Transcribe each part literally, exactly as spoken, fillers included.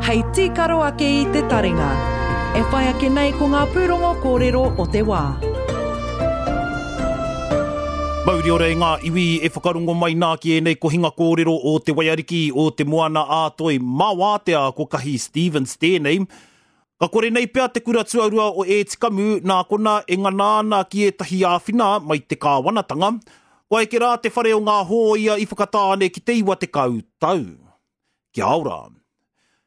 Hei tīkaro ake i te taringa. E whai ake nei ko ngā pūrongo kōrero o te wā. Mauri ora e ngā iwi e whakarongo mai nā ki ēnei kohinga kōrero o te Waiariki o te Moana ā-Toi mā wātea ko Kahi Stevens tēnei. Ka kore nei pea te kura tuarua o Ētikamu nā kona e ngana ana ki ētahi āwhina mai te kāwanatanga. Kua eke rā te whare o ngā hōia i Whakatāne ki te iwa tekau tau. Kia ora.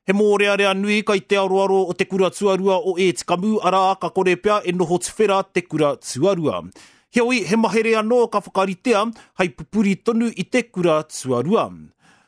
He mōrearea nui kai te aroaro o te kura tuarua o Ētikamu, arā ka kore pea e noho tuwhera te kura tuarua. Heoi, he mahere anō ka whakaritea hei pupuri tonu i te kura tuarua.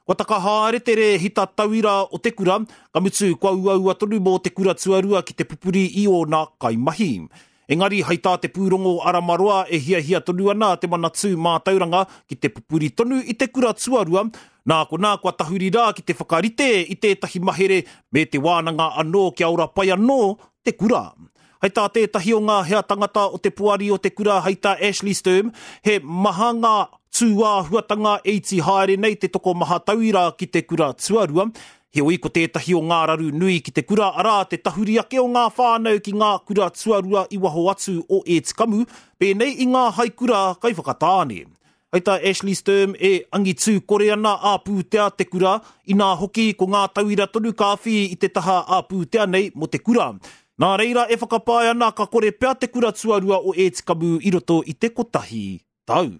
Kua taka haere te rēhita tauira o te kura, ka mutu kua uaua tonu mō te kura tuarua ki te pupuri i ōna kaimahi. Engari, hei tā te pūrongo Aramaroa e hiahia tonu ana te Manatū Mātauranga ki te pupuri tonu i te kura tuarua, nā konā kua tahuri rā ki te whakarite i tētahi mahere me te wānanga anō kia ora pai anō te kura. Hei tā tētahi o ngā hea tangata o te poari o te kura hei tā Ashley Sturm, he maha ngā tūāhuatanga e iti haere nei te tokomaha tauira ki te kura tuarua. Heoi ko tētahi o ngā raru nui ki te kura arā te tahuri ake o ngā whānau ki ngā kura tuarua i waho atu o Ētikamu, pēnei i ngā haikura kai Whakatāne. Hei tā Ashley Sturm e angitū kore ana ā-pūtea te kura, inā hoki ko ngā tauira tonu ka awhi i te taha ā-pūtea nei mō te kura. Nā reira e whakapae ana ka kore pea te kura tuarua o Ētikamu i roto i te kotahi tau.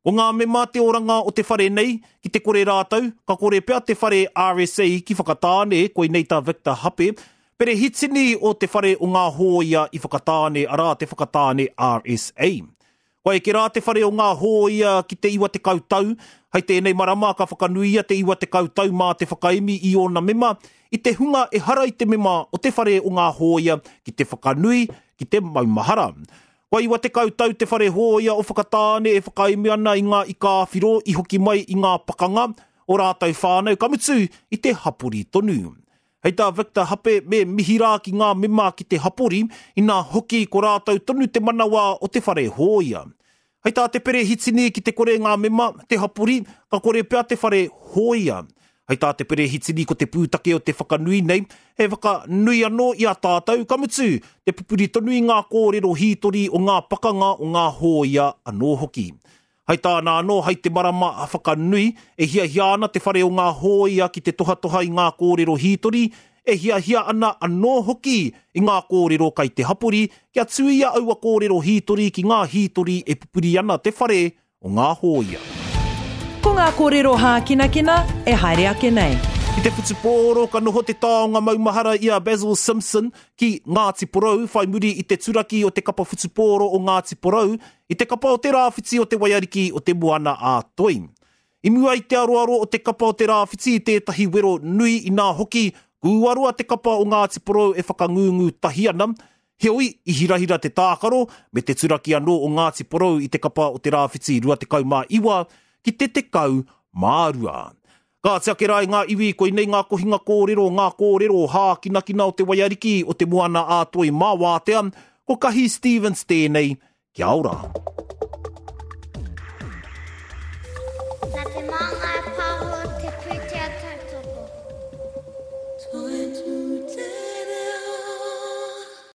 Ko ngā mema te oranga o te whare nei, ki te kore rātou, ka kore pea te whare R S A ki Whakatāne, koinei tā Victor Hape, perehitini o te whare o ngā hōia i Whakatāne, arā te Whakatāne R S A. Kua eke rā te whare o ngā hōia ki te iwa tekau tau, hei tēnei marama ka whakanuia te iwa tekau tau mā te whakaemi i ōna mema, i te hunga ehara i te mema o te whare o ngā hōia ki te whakanui, ki te maumahara. Kua iwa tekau tau te whare hōia o Whakatāne e whakaemi ana i ngā ika-ā-whiro i hoki mai i ngā pakanga o rātou whānau, ka mutu i te hapori tonu. Hei tā Victor Hape me mihi rā ki ngā mema ki te hapori, inā hoki ko rātou tonu te manawa o te whare hōia. Hei tā te perehitini ki te kore ngā mema, te hapori, ka kore pea te whare hōia. Hei tā te perehitini ko te pūtake o te whakanui nei, he whakanui anō i a tātou, ka mutu, te pupuri tonu i ngā kōrero hītori o ngā pakanga o ngā hōia anō hoki. Hei tāna anō, hei te marama a whakanui, e hiahia ana te whare o ngā hōia ki te tohatoha i ngā kōrero hītori, e hiahia ana anō hoki i ngā kōrero kai te hapori, kia tuia aua kōrero hītori ki ngā hītori e pupuri ana te whare o ngā hōia. Ko ngā kōrero hākinakina e haere ake nei. I te whutupōro ka noho te taonga maumahara i a Basil Simpson ki Ngāti Porou whai muri i te turaki o te kapa whutupōro o Ngāti Porou i te kapa o te Rāwhiti o te Waiariki o te Moana ā-Toi. I mua i te aroaro o te kapa o te Rāwhiti i tētahi wero nui inā hoki, kūaroa te kapa o Ngāti Porou e whakangungu tahi ana, heoi i hirahira te tākaro me te turaki anō o Ngāti Porou i te kapa o te Rāwhiti rua tekau mā iwa ki te tekau mā rua. Ka ake rā i ngā iwi, koinei ngā kohinga kōrero, ngā kōrero hākinakina o te Waiariki o te Moana ā-Toi mā wātea, ko Kahi Stevens tēnei, kia ora. Nā te Māngai